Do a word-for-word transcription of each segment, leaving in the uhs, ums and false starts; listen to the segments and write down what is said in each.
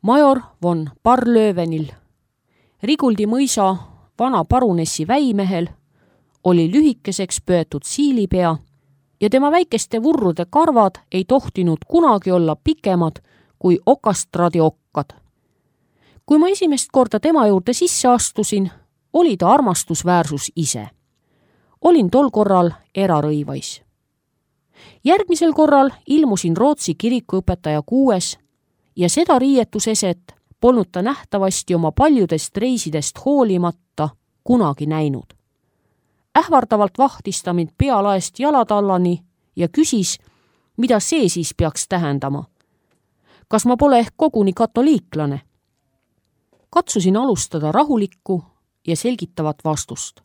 Major von Barlövenil, Riguldi mõisa vana parunessi väimehel, oli lühikeseks pöötud siilipea ja tema väikeste vurrude karvad ei tohtinud kunagi olla pikemad kui okastraadi okkad. Kui ma esimest korda tema juurde sisse astusin, oli ta armastusväärsus ise. Olin tol korral erarõivais. Järgmisel korral ilmusin Rootsi kirikuõpetaja kuues ja seda riietuseset polnud ta nähtavasti oma paljudest reisidest hoolimata kunagi näinud. Ähvardavalt vahtis ta mind pealaest jalatallani ja küsis, mida see siis peaks tähendama. Kas ma pole ehk koguni katoliiklane? Katsusin alustada rahulikku ja selgitavat vastust.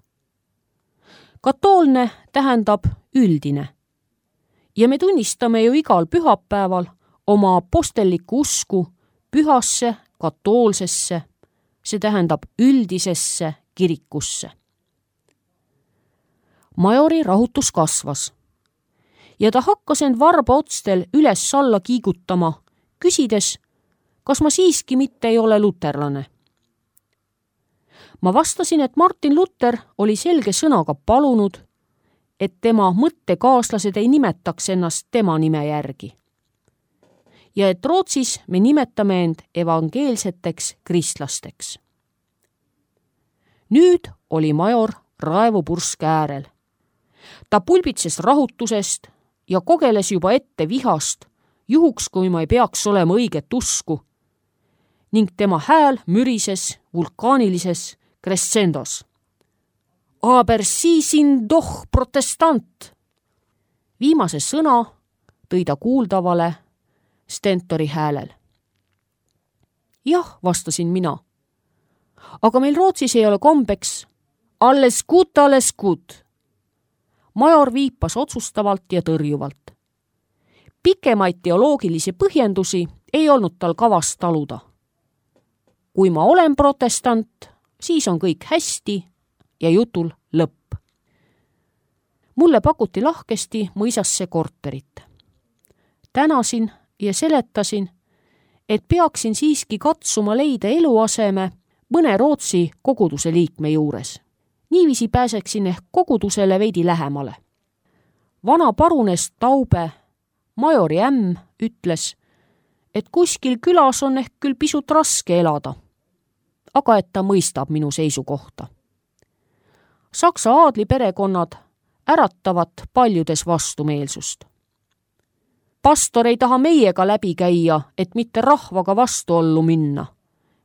Katoolne tähendab üldine ja me tunnistame ju igal pühapäeval oma apostellikku usku pühasse, katoolsesse, see tähendab üldisesse kirikusse. Majori rahutus kasvas ja ta hakkas end varba otstel üles-alla kiigutama, küsides, kas ma siiski mitte ei ole luterlane. Ma vastasin, et Martin Luther oli selge sõnaga palunud, et tema mõttekaaslased ei nimetaks ennast tema nime järgi. Ja et Rootsis me nimetame end evangeelseteks kristlasteks. Nüüd oli major raevupurske äärel. Ta pulbitses rahutusest ja kogeles juba ette vihast, juhuks kui ma ei peaks olema õiget usku, ning tema hääl mürises vulkaanilises crescendos. Aber sie sind doch protestant. Viimase sõna tõi ta kuuldavale stentori häälel. Jah, vastasin mina. Aga meil Rootsis ei ole kombeks. Alles gut, alles gut. Major viipas otsustavalt ja tõrjuvalt. Pikemaid teoloogilisi põhjendusi ei olnud tal kavas taluda. Kui ma olen protestant, siis on kõik hästi ja jutul lõpp. Mulle pakuti lahkesti mõisasse korterit. Tänasin ja seletasin, et peaksin siiski katsuma leida eluaseme mõne Rootsi koguduse liikme juures. Niiviisi pääseksin ehk kogudusele veidi lähemale. Vana parunes Taube, majori ämm, ütles, et kuskil külas on ehk küll pisut raske elada, aga et ta mõistab minu seisukohta. Saksa aadliperekonnad äratavad paljudes vastumeelsust. Pastor ei taha meiega läbi käia, et mitte rahvaga vastuollu minna,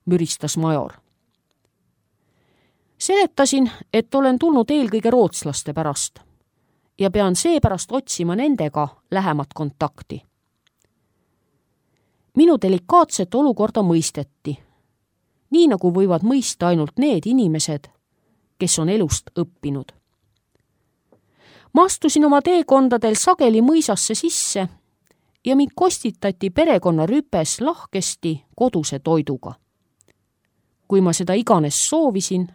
müristas major. Seletasin, et olen tulnud eelkõige rootslaste pärast ja pean seepärast otsima nendega lähemat kontakti. Minu delikaatset olukorda mõisteti, nii nagu võivad mõista ainult need inimesed, kes on elust õppinud. Ma astusin oma teekondadel sageli mõisasse sisse ja mind kostitati perekonna rüpes lahkesti koduse toiduga. Kui ma seda iganes soovisin,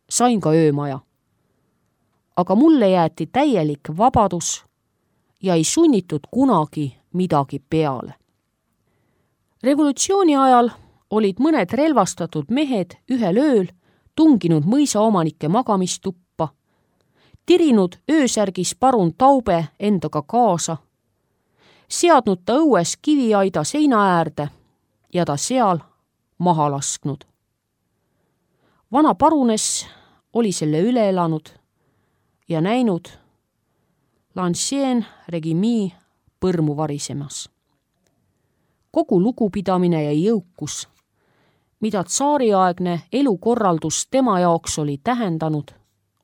sain ka öömaja. Aga mulle jäeti täielik vabadus ja ei sunnitud kunagi midagi peale. Revolutsiooni ajal olid mõned relvastatud mehed ühel ööl tunginud mõisaomanike magamistuppa, tirinud öösärgis parun Taube endaga kaasa, seadnud ta õues kiviaida seina äärde ja ta seal maha lasknud. Vana parunes oli selle üle elanud ja näinud l'ancien regimi põrmu varisemas. Kogu lugupidamine ja jõukus, mida tsaariaegne elukorraldus tema jaoks oli tähendanud,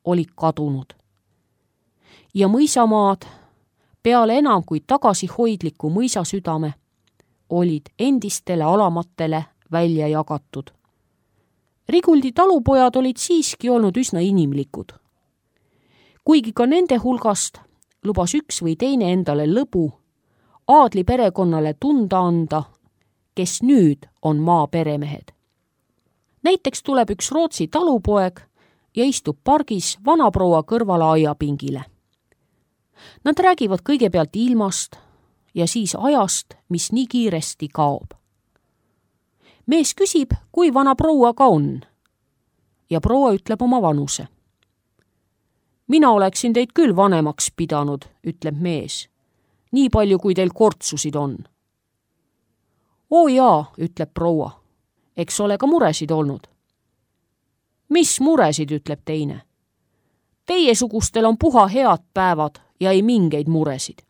oli kadunud. Ja mõisamaad, peale enam kui tagasihoidliku mõisasüdame, olid endistele alamatele välja jagatud. Riguldi talupojad olid siiski olnud üsna inimlikud. Kuigi ka nende hulgast lubas üks või teine endale lõbu aadli perekonnale tunda anda, kes nüüd on maa peremehed. Näiteks tuleb üks Rootsi talupoeg ja istub pargis vanaproua kõrvala aiapingile. Nad räägivad kõigepealt ilmast ja siis ajast, mis nii kiiresti kaob. mees küsib, kui vana proua ka on. Ja proua ütleb oma vanuse. Mina oleksin teid küll vanemaks pidanud, ütleb mees. Nii palju, kui teil kortsusid on. Oo jaa, ütleb proua. Eks ole ka muresid olnud. Mis muresid, ütleb teine. Teiesugustel on puha head päevad ja ei mingeid muresid.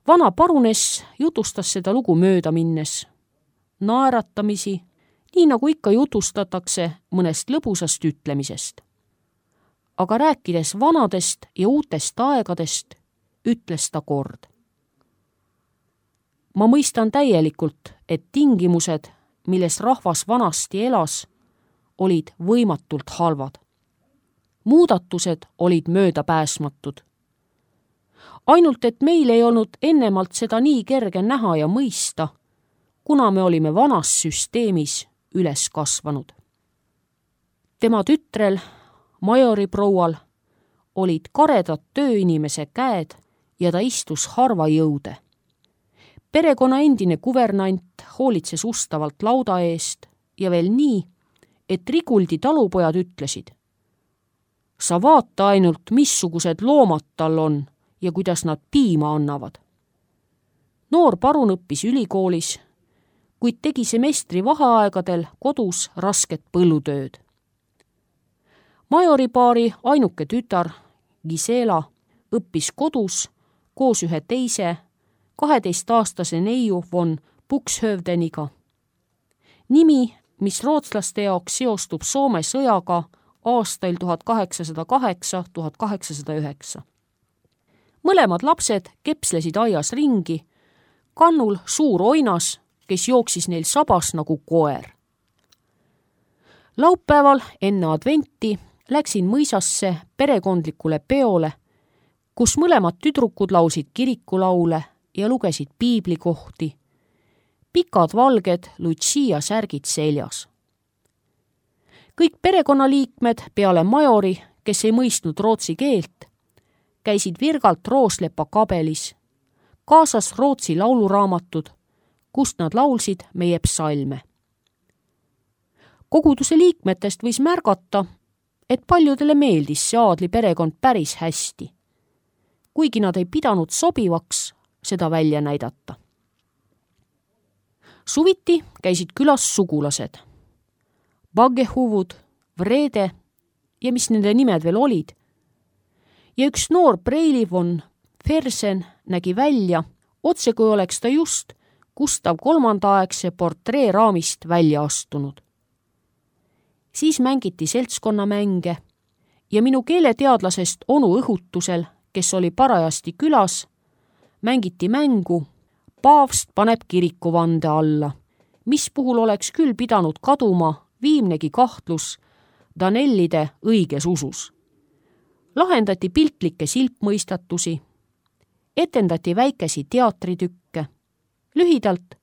Vana paruness jutustas seda lugu mööda minnes. Naeratamisi, nii nagu ikka jutustatakse mõnest lõbusast ütlemisest. Aga rääkides vanadest ja uutest aegadest, ütles ta kord. Ma mõistan täielikult, et tingimused, milles rahvas vanasti elas, olid võimatult halvad. Muudatused olid möödapääsmatud. Ainult, et meil ei olnud ennemalt seda nii kerge näha ja mõista, kuna me olime vanas süsteemis üles kasvanud. Tema tütrel, majori proual, olid karedad tööinimese käed ja ta istus harva jõude. Perekonna endine kuvernant hoolitses ustavalt lauda eest ja veel nii, et Riguldi talupojad ütlesid. Sa vaata ainult, missugused loomad tal on ja kuidas nad piima annavad. Noor parun õppis ülikoolis, kuid tegi semestri vaheaegadel kodus rasket põllutööd. Majoripaari ainuke tütar, Gisela, õppis kodus koos ühe teise, kaheteistaastase neiu von Buxhövdeniga. Nimi, mis rootslaste jaoks seostub Soome sõjaga aastail tuhat kaheksasada kaheksa – tuhat kaheksasada üheksa. Mõlemad lapsed kepslesid aias ringi, kannul suur oinas, kes jooksis neil sabas nagu koer. Laupäeval enne adventi läksin mõisasse perekondlikule peole, kus mõlemad tüdrukud laulsid kirikulaule ja lugesid piiblikohti, pikad valged Lucia särgid seljas. Kõik perekonnaliikmed peale majori, kes ei mõistnud rootsi keelt, käisid virgalt Rooslepa kabelis, kaasas rootsi lauluraamatud, kust nad laulsid meie psalme. Koguduse liikmetest võis märgata, et paljudele meeldis see aadli perekond päris hästi, kuigi nad ei pidanud sobivaks seda välja näidata. Suviti käisid külas sugulased. Baggehuvud, Vrede ja mis nende nimed veel olid. Ja üks noor Preili von Fersen nägi välja, otse kui oleks ta just Gustav kolmandaaegse portreeraamist välja astunud. Siis mängiti seltskonnamänge ja minu keeleteadlasest onu õhutusel, kes oli parajasti külas, mängiti mängu Paavst paneb kirikuvande alla, mis puhul oleks küll pidanud kaduma viimnegi kahtlus Danellide õiges usus. Lahendati piltlikke silpmõistatusi, etendati väikesi teatritükke, lühidalt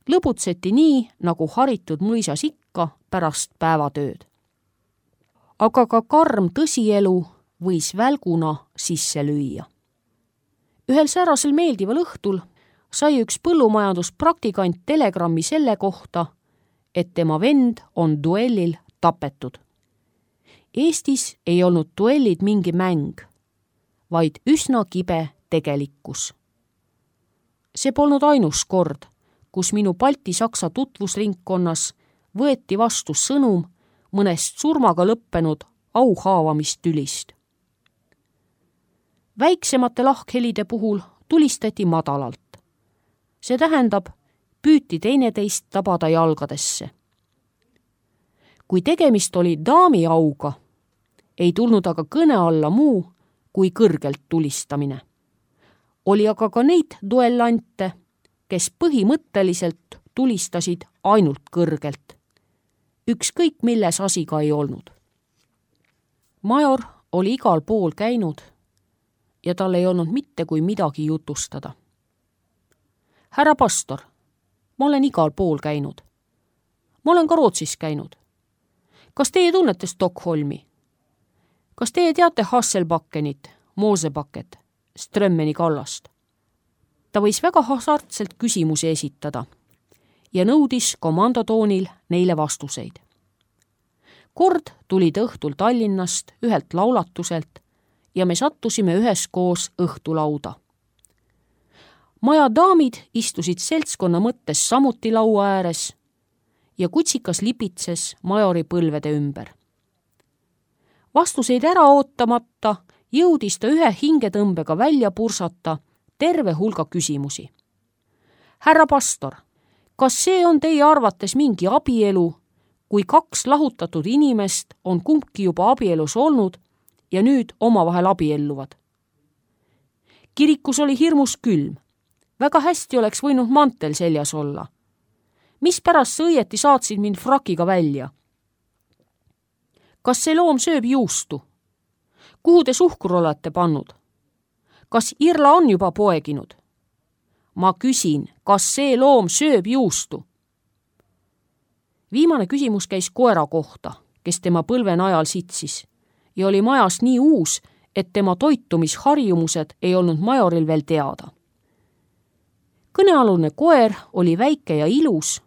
lõbutseti nii, nagu haritud mõisas ikka pärast päevatööd. Aga ka karm tõsielu võis välguna sisse lüüa. Ühel säärasel meeldival õhtul sai üks põllumajanduspraktikant telegrammi selle kohta, et tema vend on duellil tapetud. Eestis ei olnud duellid mingi mäng, vaid üsna kibe tegelikkus. See polnud ainus kord, kus minu Balti-Saksa tutvusringkonnas võeti vastu sõnum mõnest surmaga lõppenud auhaavamistülist. Väiksemate lahkhelide puhul tulistati madalalt. See tähendab, püüti teineteist tabada jalgadesse. Kui tegemist oli daami auga, ei tulnud aga kõne alla muu kui kõrgelt tulistamine. Oli aga ka neid duellante, kes põhimõtteliselt tulistasid ainult kõrgelt. Ükskõik milles asi ka ei olnud. Major oli igal pool käinud ja tal ei olnud mitte kui midagi jutustada. Härra pastor, ma olen igal pool käinud. Ma olen ka Rootsis käinud. Kas teie tunnete Stockholmi? Kas teie teate Hasselbackenit, Moosebaket, Strömmeni kallast? Ta võis väga hasartselt küsimusi esitada ja nõudis komandotoonil neile vastuseid. Kord tuli ta õhtul Tallinnast ühelt laulatuselt ja me sattusime üheskoos õhtulauda. Maja daamid istusid seltskonna mõttes samuti laua ääres ja kutsikas lipitses majori põlvede ümber. Vastuseid ära ootamata jõudis ta ühe hingetõmbega välja pursata terve hulga küsimusi. Härra pastor, kas see on teie arvates mingi abielu, kui kaks lahutatud inimest on kumbki juba abielus olnud ja nüüd omavahel abielluvad? Kirikus oli hirmus külm. Väga hästi oleks võinud mantel seljas olla. Mispärast sa õieti saatsid mind frakiga välja? Kas see loom sööb juustu? Kuhu te suhkur olete pannud? Kas Irla on juba poeginud? Ma küsin, kas see loom sööb juustu? Viimane küsimus käis koera kohta, kes tema põlve najal sitsis ja oli majas nii uus, et tema toitumisharjumused ei olnud majoril veel teada. Kõnealune koer oli väike ja ilus,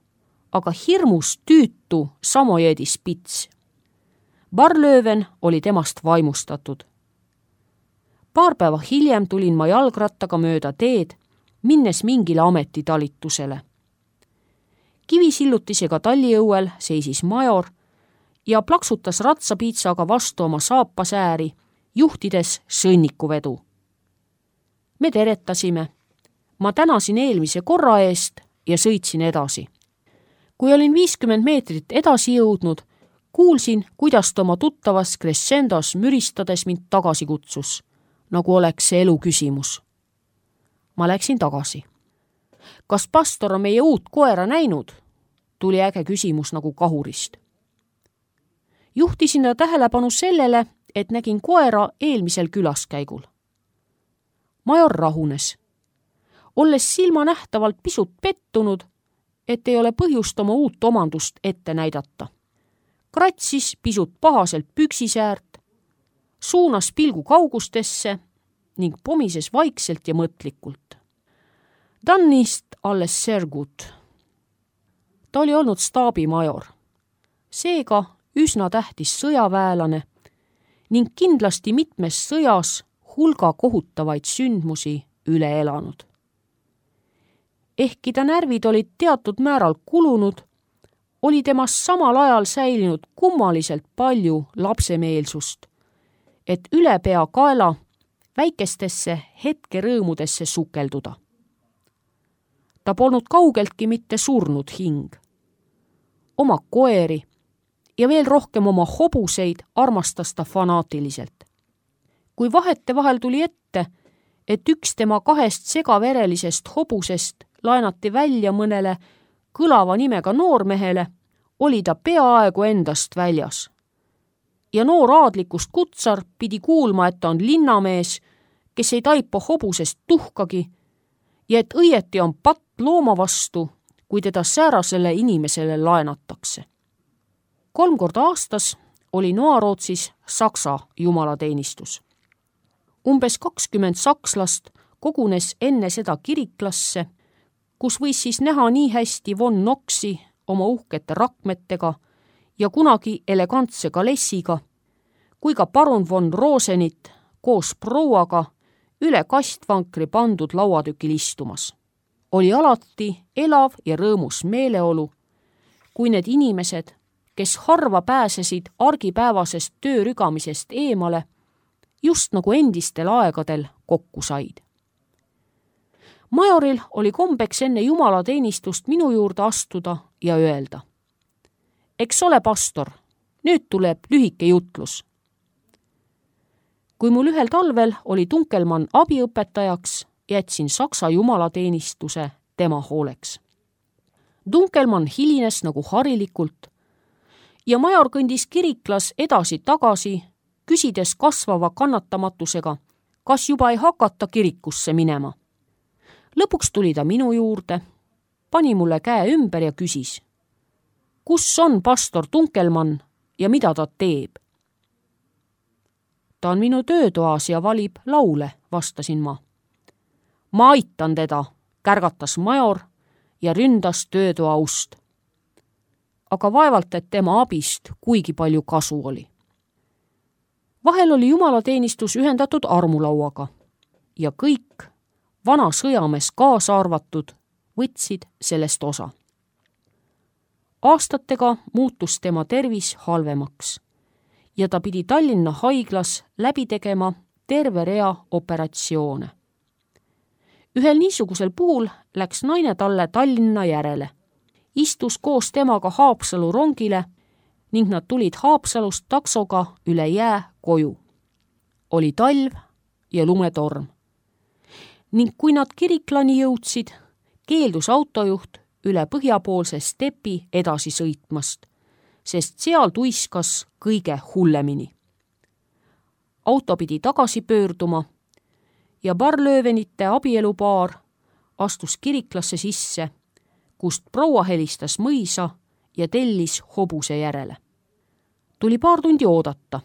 aga hirmus tüütu Samojeedi Spits. Barlöven oli temast vaimustatud. Paar päeva hiljem tulin ma jalgrattaga mööda teed, minnes mingile ametitalitusele. Kivisillutisega talliõuel seisis major ja plaksutas ratsapiitsaga vastu oma saapasääri, juhtides sõnnikuvedu. Me teretasime. Ma tänasin eelmise korra eest ja sõitsin edasi. Kui olin viiskümmend meetrit edasi jõudnud, kuulsin, kuidas ta oma tuttavas crescendos müristades mind tagasi kutsus, nagu oleks see elu küsimus. Ma läksin tagasi. Kas pastor on meie uut koera näinud? Tuli äge küsimus nagu kahurist. Juhtisin ta tähelepanu sellele, et nägin koera eelmisel külaskäigul. Major rahunes. Olles silma nähtavalt pisut pettunud, et ei ole põhjust oma uut omandust ette näidata. Kratsis pisut pahaselt püksisäärt, suunas pilgu kaugustesse ning pomises vaikselt ja mõtlikult. Dannist alles sergut. Ta oli olnud staabimajor, seega üsna tähtis sõjaväelane ning kindlasti mitmes sõjas hulga kohutavaid sündmusi üle elanud. Ehkki ta närvid olid teatud määral kulunud, oli temast samal ajal säilinud kummaliselt palju lapsemeelsust, et üle pea kaela väikestesse hetkerõõmudesse sukelduda. Ta polnud kaugeltki mitte surnud hing. Oma koeri ja veel rohkem oma hobuseid armastas ta fanaatiliselt. Kui vahete vahel tuli ette, et üks tema kahest segaverelisest hobusest laenati välja mõnele kõlava nimega noormehele, oli ta peaaegu endast väljas. Ja noor aadlikust kutsar pidi kuulma, et ta on linnamees, kes ei taipa hobusest tuhkagi ja et õieti on patt looma vastu, kui teda säärasele inimesele laenatakse. Kolm korda aastas oli Noarootsis Saksa jumalateenistus. Umbes kakskümmend sakslast kogunes enne seda kiriklasse, kus võis siis näha nii hästi von Knoxi oma uhkete rakmetega ja kunagi elegantse kalessiga, kui ka parun von Rosenit koos prouaga üle kastvankri pandud lauatükil istumas. Oli alati elav ja rõõmus meeleolu, kui need inimesed, kes harva pääsesid argipäevasest töörügamisest eemale, just nagu endistel aegadel kokku said. Majoril oli kombeks enne jumalateenistust minu juurde astuda ja öelda: eks ole, pastor, nüüd tuleb lühike jutlus. Kui mul ühel talvel oli Dunkelmann abiõpetajaks, jätsin Saksa jumalateenistuse tema hooleks. Dunkelmann hilines nagu harilikult ja major kõndis kiriklas edasi-tagasi, küsides kasvava kannatamatusega, kas juba ei hakata kirikusse minema. Lõpuks tuli ta minu juurde, pani mulle käe ümber ja küsis: kus on pastor Dunkelmann ja mida ta teeb? Ta on minu töötoas ja valib laule, vastasin ma. Ma aitan teda, kärgatas major ja ründas töötoa ust. Aga vaevalt, et tema abist kuigi palju kasu oli. Vahel oli jumalateenistus ühendatud armulauaga ja kõik, vana sõjamees kaasa arvatud, võtsid sellest osa. Aastatega muutus tema tervis halvemaks ja ta pidi Tallinna haiglas läbi tegema terve rea operatsioone. Ühel niisugusel puhul läks naine talle Tallinna järele, istus koos temaga Haapsalu rongile ning nad tulid Haapsalust taksoga üle jää koju. Oli talv ja lumetorm. Ning kui nad Kiriklani jõudsid, keeldus autojuht üle põhjapoolse stepi edasi sõitmast, sest seal tuiskas kõige hullemini. Auto pidi tagasi pöörduma ja Barlövenite abielupaar astus Kiriklasse sisse, kust proua helistas mõisa ja tellis hobuse järele. Tuli paar tundi oodata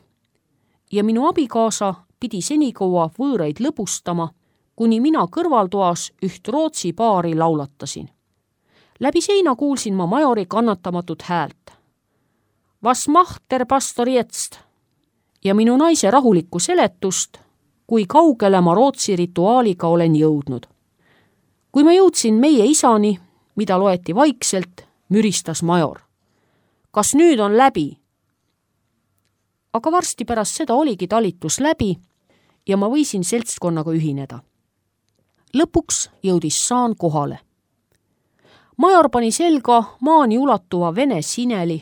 ja minu abikaasa pidi senikaua võõraid lõbustama, kuni mina kõrvaltoas üht Rootsi paari laulatasin. Läbi seina kuulsin ma majori kannatamatut häält. Was macht der pastor jetzt? Ja minu naise rahulikku seletust, kui kaugele ma Rootsi rituaaliga olen jõudnud. Kui ma jõudsin meie isani, mida loeti vaikselt, müristas major. Kas nüüd on läbi? Aga varsti pärast seda oligi talitus läbi ja ma võisin seltskonnaga ühineda. Lõpuks jõudis saan kohale. Major pani selga maani ulatuva vene sineli,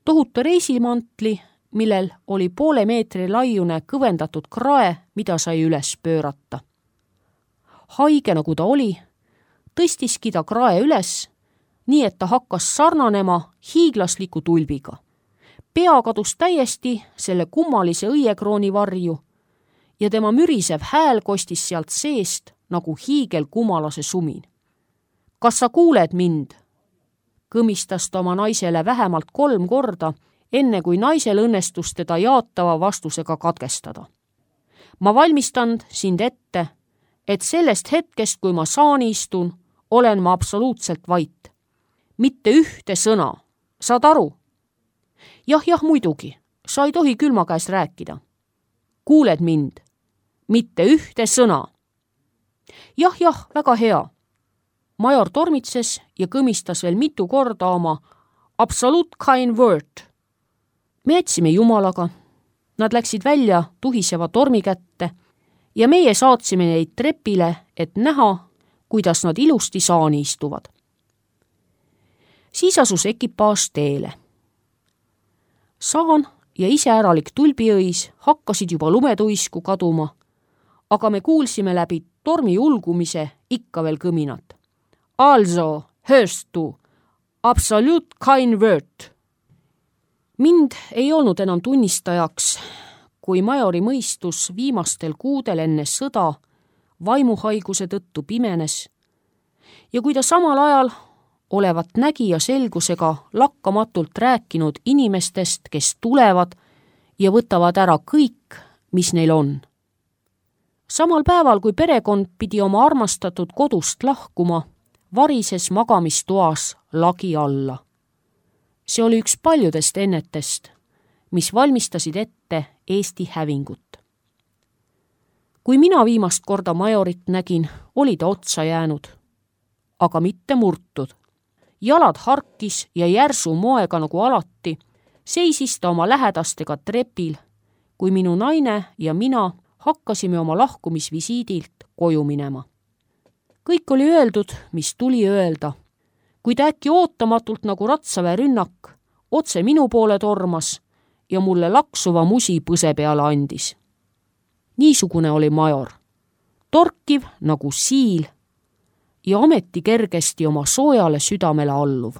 tohutu reisimantli, millel oli poole meetri laiune kõvendatud krae, mida sai üles pöörata. Haige nagu ta oli, tõstiski ta krae üles, nii et ta hakkas sarnanema hiiglasliku tulbiga. Pea kadus täiesti selle kummalise õiekrooni varju ja tema mürisev hääl kostis sealt seest nagu hiigelkumalase sumin. Kas sa kuuled mind? Kõmistas ta oma naisele vähemalt kolm korda, enne kui naisel õnnestus teda jaatava vastusega katkestada. Ma valmistan sind ette, et sellest hetkest, kui ma saani istun, olen ma absoluutselt vait. Mitte ühte sõna. Saad aru? Jah, jah, muidugi. Sa ei tohi külma käes rääkida. Kuuled mind? Mitte ühte sõna. Jah, jah, väga hea. Major tormitses ja kõmistas veel mitu korda oma absolute kein word. Me jätsime jumalaga. Nad läksid välja tuhiseva tormi kätte ja meie saatsime neid trepile, et näha, kuidas nad ilusti saani istuvad. Siis asus ekipaaž teele. Saan ja iseäralik tulbiõis hakkasid juba lumetuisku kaduma, aga me kuulsime läbi tormi ulgumise ikka veel kõminat. Also, hörst du, absolut kein word. Mind ei olnud enam tunnistajaks, kui majori mõistus viimastel kuudel enne sõda vaimuhaiguse tõttu pimenes ja kui ta samal ajal olevat nägija selgusega lakkamatult rääkinud inimestest, kes tulevad ja võtavad ära kõik, mis neil on. Samal päeval, kui perekond pidi oma armastatud kodust lahkuma, varises magamistoas lagi alla. See oli üks paljudest ennetest, mis valmistasid ette Eesti hävingut. Kui mina viimast korda majorit nägin, oli ta otsa jäänud, aga mitte murtud. Jalad harkis ja järsu moega nagu alati, seisis ta oma lähedastega trepil, kui minu naine ja mina hakkasime oma lahkumisvisiidilt koju minema. Kõik oli öeldud, mis tuli öelda, kuid äkki ootamatult nagu ratsaväe rünnak, otse minu poole tormas ja mulle laksuva musi põse peale andis. Niisugune oli major, torkiv nagu siil ja ometi kergesti oma soojale südamele alluv.